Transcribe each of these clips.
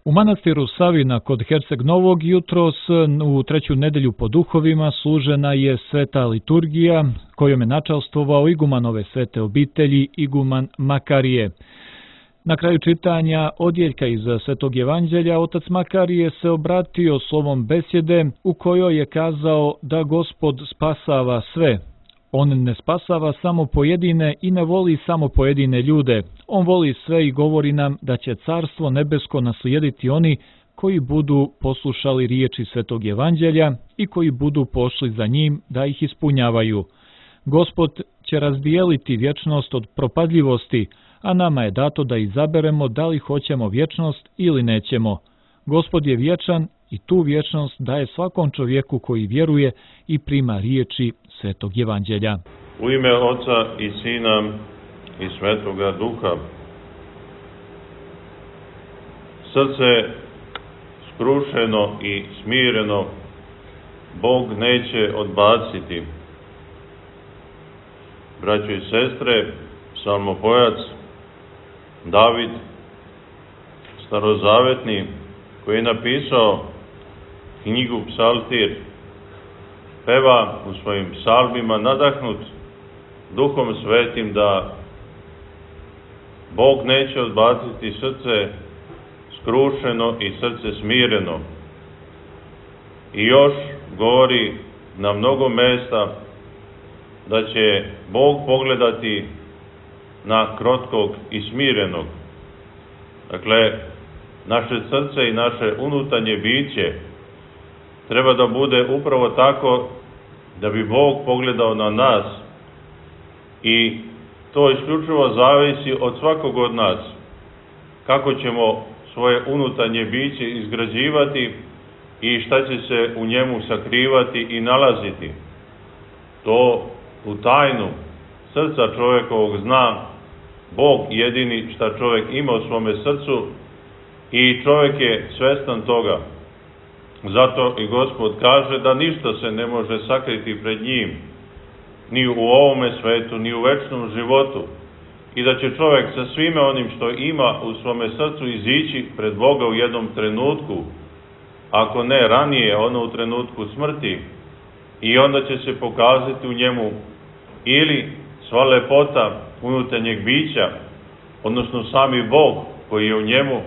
U manastiru Savina kod Herceg Novog jutros u treću nedelju po duhovima služena je sveta liturgija kojom je načalstvovao iguman ove svete obitelji, iguman Makarije. Na kraju čitanja odjeljka iz Svetog Evanđelja otac Makarije se obratio slovom besjede u kojoj je kazao da Gospod spasava sve. On ne spasava samo pojedine i ne voli samo pojedine ljude. On voli sve i govori nam da će carstvo nebesko naslijediti oni koji budu poslušali riječi Svetog Evanđelja i koji budu pošli za njim da ih ispunjavaju. Gospod će razdijeliti vječnost od propadljivosti, a nama je dato da izaberemo da li hoćemo vječnost ili nećemo. Gospod je vječan i tu vječnost daje svakom čovjeku koji vjeruje i prima riječi Svetog Evanđelja. U ime Oca i Sina i Svetoga Duha. Srce skrušeno i smireno Bog neće odbaciti. Braćo i sestre, psalmopojac David, starozavetni, koji je napisao knjigu Psaltir, peva u svojim psalmima nadahnut Duhom Svetim da Bog neće odbaciti srce skrušeno i srce smireno. I još govori na mnogo mesta da će Bog pogledati na krotkog i smirenog. Dakle, naše srce i naše unutarnje biće treba da bude upravo tako da bi Bog pogledao na nas i to isključivo zavisi od svakog od nas. Kako ćemo svoje unutarnje biće izgrađivati i šta će se u njemu sakrivati i nalaziti. To u tajnu srca čovjekovog zna Bog jedini šta čovjek ima u svome srcu i čovjek je svestan toga. Zato i Gospod kaže da ništa se ne može sakriti pred njim, ni u ovome svetu, ni u večnom životu, i da će čovjek sa svime onim što ima u svome srcu izići pred Boga u jednom trenutku, ako ne ranije, ono u trenutku smrti, i onda će se pokazati u njemu ili sva lepota unutarnjeg bića, odnosno sami Bog koji je u njemu,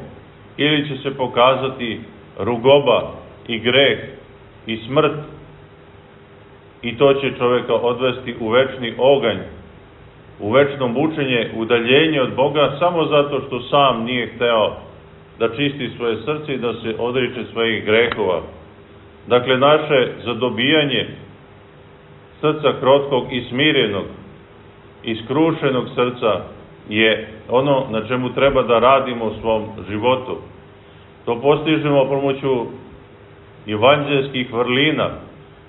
ili će se pokazati rugoba i greh i smrt, i to će čovjeka odvesti u večni oganj, u večno mučenje, udaljenje od Boga, samo zato što sam nije hteo da čisti svoje srce i da se odriče svojih grehova. Dakle, naše zadobijanje srca krotkog i smirenog i skrušenog srca je ono na čemu treba da radimo u svom životu. To postižemo pomoću evanđelskih vrlina,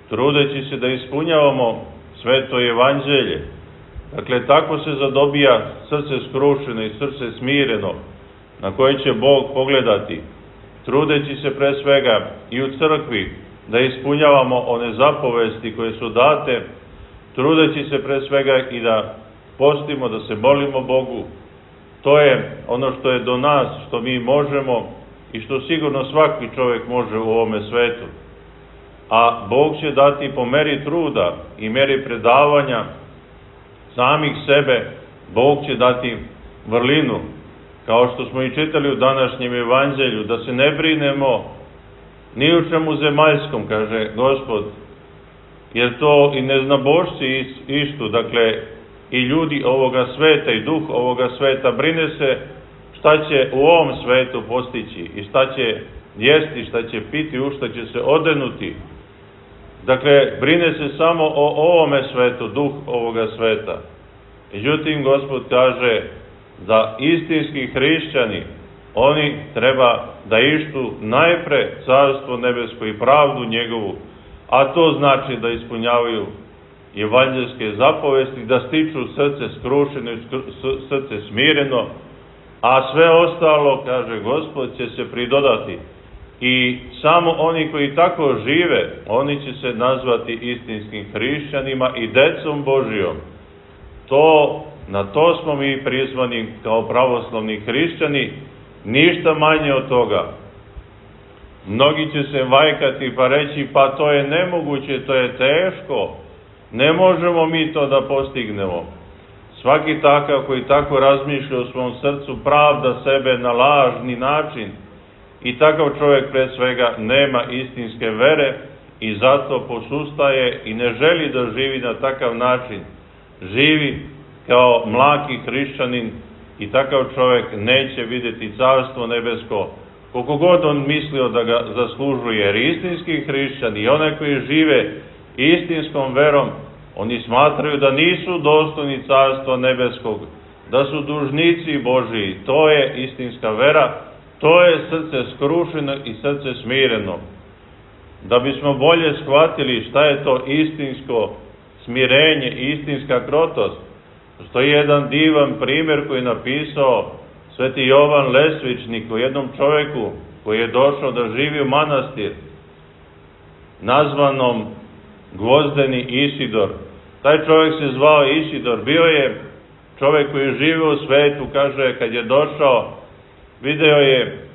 trudeći se da ispunjavamo sveto evanđelje. Dakle, tako se zadobija srce skrušeno i srce smireno, na koje će Bog pogledati, trudeći se pre svega i u crkvi da ispunjavamo one zapovesti koje su date, trudeći se pre svega i da postimo, da se molimo Bogu. To je ono što je do nas, što mi možemo i što sigurno svaki čovjek može u ovome svetu. A Bog će dati po meri truda i meri predavanja samih sebe, Bog će dati vrlinu, kao što smo i čitali u današnjem evanđelju, da se ne brinemo ni u čemu zemaljskom, kaže Gospod, jer to i neznabošci istu, dakle, i ljudi ovoga sveta i duh ovoga sveta brine se šta će u ovom svetu postići i šta će jesti, šta će piti, u šta će se odenuti. Dakle, brine se samo o ovome svetu, duh ovoga sveta. Međutim, Gospod kaže da istinski hrišćani, oni treba da ištu najpre carstvo nebesko i pravdu njegovu, a to znači da ispunjavaju evanđelske zapovesti, da stiču srce skrušeno i srce smireno, a sve ostalo, kaže Gospod, će se pridodati. I samo oni koji tako žive, oni će se nazvati istinskim hrišćanima i decom Božijom. Na to smo mi prizvani kao pravoslavni hrišćani, ništa manje od toga. Mnogi će se vajkati pa reći, pa to je nemoguće, to je teško, ne možemo mi to da postignemo. Svaki takav koji tako razmišlja u svom srcu pravda sebe na lažni način i takav čovjek pred svega nema istinske vere i zato posustaje i ne želi da živi na takav način. Živi kao mlaki hrišćanin i takav čovjek neće vidjeti carstvo nebesko, koliko god on mislio da ga zaslužuje. Jer istinski hrišćani i one koji žive istinskom verom, oni smatraju da nisu dostojni carstva nebeskog, da su dužnici Božiji. To je istinska vera, to je srce skrušeno i srce smireno. Da bismo bolje shvatili šta je to istinsko smirenje i istinska krotost, postoji jedan divan primjer koji je napisao sveti Jovan Lesvičnik o jednom čovjeku koji je došao da živi u manastir nazvanom Gvozdeni Isidor. Taj čovjek se zvao Isidor, bio je čovjek koji je živio u svetu, kaže, kad je došao, video je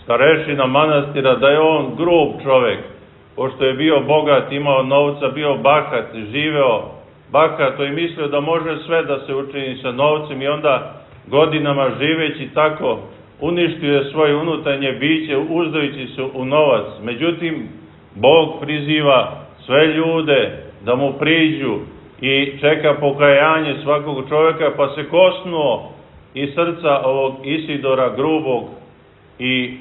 starešina manastira da je on grub čovjek, pošto je bio bogat, imao novca, bio bahat, živeo bahato i mislio da može sve da se učini sa novcem i onda godinama živeći tako uništio je svoje unutarnje biće uzdajući se u novac. Međutim, Bog priziva sve ljude da mu priđu i čeka pokajanje svakog čovjeka, pa se kosnuo iz srca ovog Isidora grubog i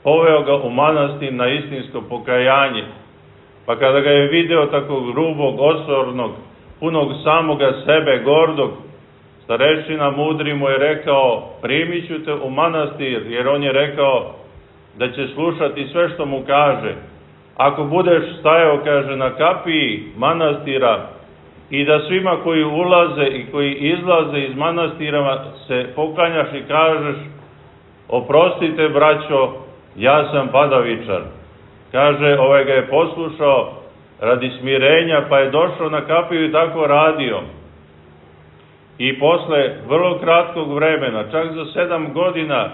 poveo ga u manastir na istinsko pokajanje. Pa kada ga je video tako grubog, osornog, punog samoga sebe, gordog, starešina mudri mu je rekao, primit ću te u manastir, jer on je rekao da će slušati sve što mu kaže. Ako budeš stajao, kaže, na kapiji manastira i da svima koji ulaze i koji izlaze iz manastira se poklanjaš i kažeš, oprostite braćo, ja sam padavičar. Kaže, ovaj ga je poslušao radi smirenja, pa je došao na kapiju i tako radio. I posle vrlo kratkog vremena, čak za 7 godina,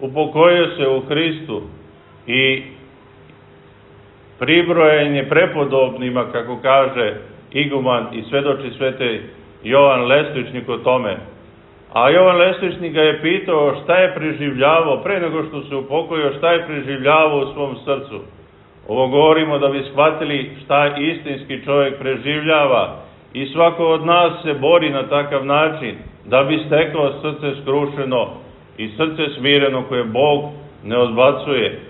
upokojio se u Hristu i pribrojen je prepodobnima, kako kaže iguman i svedoči sveti Jovan Lesvičnik o tome. A Jovan Lesvičnik ga je pitao šta je preživljavao, pre nego što se upokojio, šta je preživljavao u svom srcu. Ovo govorimo da bi shvatili šta istinski čovjek preživljava i svako od nas se bori na takav način da bi stekao srce skrušeno i srce smireno koje Bog ne odbacuje.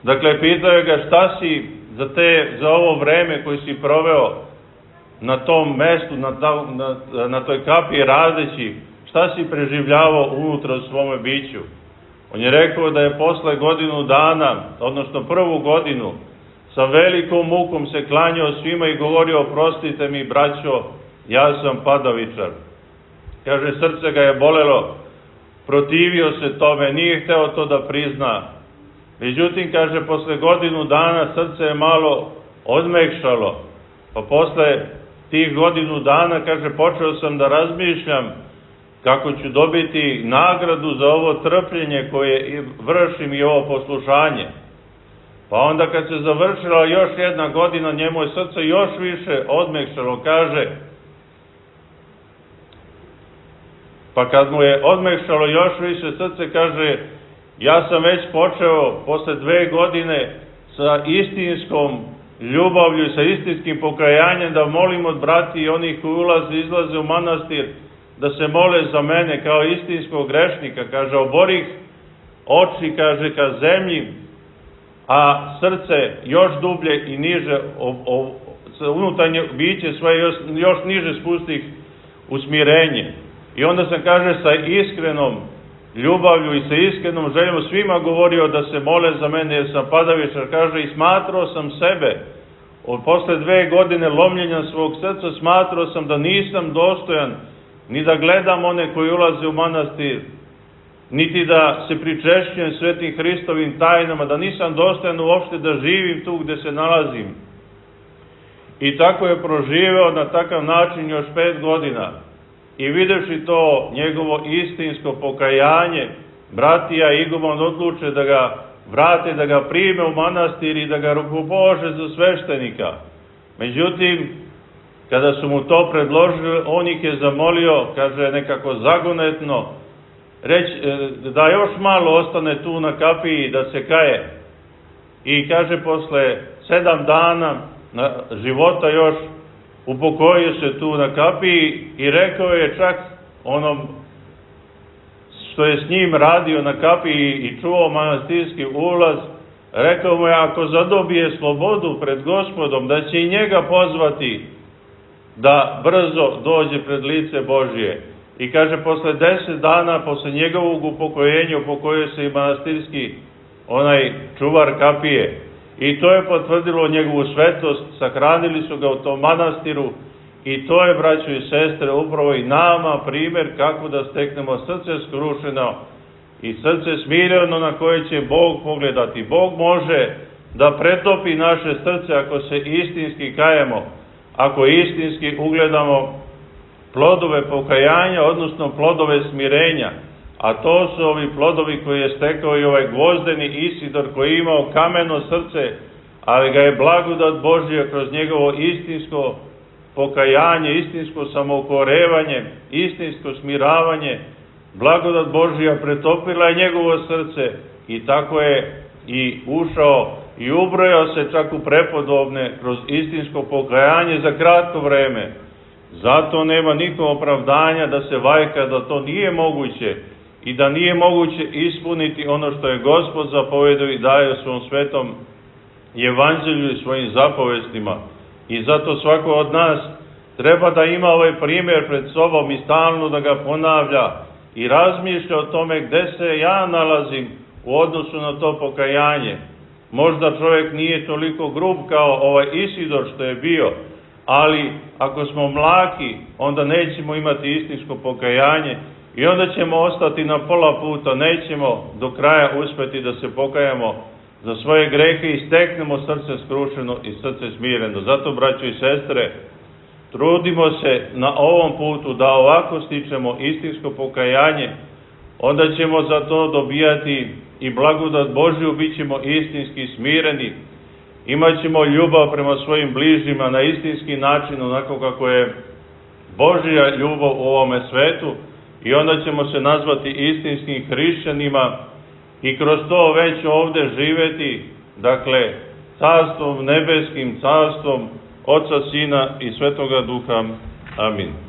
Dakle, pitao je ga šta si za ovo vreme koje si proveo na tom mestu, na toj kapiji radeći, šta si preživljavao unutra u svome biću. On je rekao da je posle godinu dana, odnosno prvu godinu, sa velikom mukom se klanjao svima i govorio, oprostite mi braćo, ja sam padavičar. Kaže, srce ga je bolelo, protivio se tome, nije hteo to da prizna. Međutim, kaže, posle godinu dana srce je malo odmekšalo, pa posle tih godinu dana, kaže, počeo sam da razmišljam kako ću dobiti nagradu za ovo trpljenje koje vršim i ovo poslušanje. Pa onda kad se završila još jedna godina, njemu je srce još više odmekšalo, kaže, pa kad mu je odmekšalo još više srce, kaže, ja sam već počeo posle 2 godine sa istinskom ljubavlju, sa istinskim pokajanjem da molim od brati i onih koji ulaze i izlaze u manastir, da se mole za mene kao istinskog grešnika. Kaže, oborih oči, kaže, ka zemlji, a srce još dublje i niže, unutarnje biće svoje još niže spustih u smirenje. I onda sam, kaže, sa iskrenom ljubavlju i sa iskrenom željom svima govorio da se mole za mene jer sam padavičar, kaže, i smatrao sam sebe, posle 2 godine lomljenja svog srca, smatrao sam da nisam dostojan ni da gledam one koji ulaze u manastir, niti da se pričešćujem svetim Hristovim tajnama, da nisam dostojan uopšte da živim tu gde se nalazim. I tako je proživeo na takav način još 5 godina. I videvši to njegovo istinsko pokajanje, bratija i iguman odluče da ga vrate, da ga prime u manastir i da ga rukopože za sveštenika. Međutim, kada su mu to predložili, on ih je zamolio, kaže, nekako zagonetno, da još malo ostane tu na kapiji, da se kaje. I kaže, posle 7 dana života još upokojio se tu na kapiji i rekao je čak onom što je s njim radio na kapiji i čuvao manastirski ulaz, rekao mu je, ako zadobije slobodu pred Gospodom, da će i njega pozvati da brzo dođe pred lice Božije. I kaže, posle 10 dana, posle njegovog upokojenja, upokojio se i manastirski onaj čuvar kapije. I to je potvrdilo njegovu svetost, sahranili su ga u tom manastiru i to je, braćo i sestre, upravo i nama primjer kako da steknemo srce skrušeno i srce smireno na koje će Bog pogledati. Bog može da pretopi naše srce ako se istinski kajemo, ako istinski ugledamo plodove pokajanja, odnosno plodove smirenja. A to su ovi plodovi koje je stekao i ovaj Gvozdeni Isidor, koji je imao kameno srce, ali ga je blagodat Božja kroz njegovo istinsko pokajanje, istinsko samoukorevanje, istinsko smiravanje, blagodat Božja pretopila je njegovo srce i tako je i ušao i ubrojao se čak u prepodobne kroz istinsko pokajanje za kratko vreme. Zato nema nikog opravdanja da se vajka da to nije moguće i da nije moguće ispuniti ono što je Gospod zapovedao i daje u svom svetom evanđelju i svojim zapovestima. I zato svako od nas treba da ima ovaj primjer pred sobom i stalno da ga ponavlja i razmišlja o tome gde se ja nalazim u odnosu na to pokajanje. Možda čovjek nije toliko grub kao ovaj Isidor što je bio, ali ako smo mlaki, onda nećemo imati istinsko pokajanje i onda ćemo ostati na pola puta, nećemo do kraja uspjeti da se pokajamo za svoje grehe i steknemo srce skrušeno i srce smireno. Zato, braćo i sestre, trudimo se na ovom putu da ovako stičemo istinsko pokajanje, onda ćemo za to dobijati i blagodat Božju, bit ćemo istinski smireni, imat ćemo ljubav prema svojim bližnjima na istinski način, onako kako je Božja ljubav u ovome svetu, i onda ćemo se nazvati istinskim hrišćanima i kroz to već ovde živeti, dakle, carstvom nebeskim, carstvom Oca, Sina i Svetoga Duha. Amin.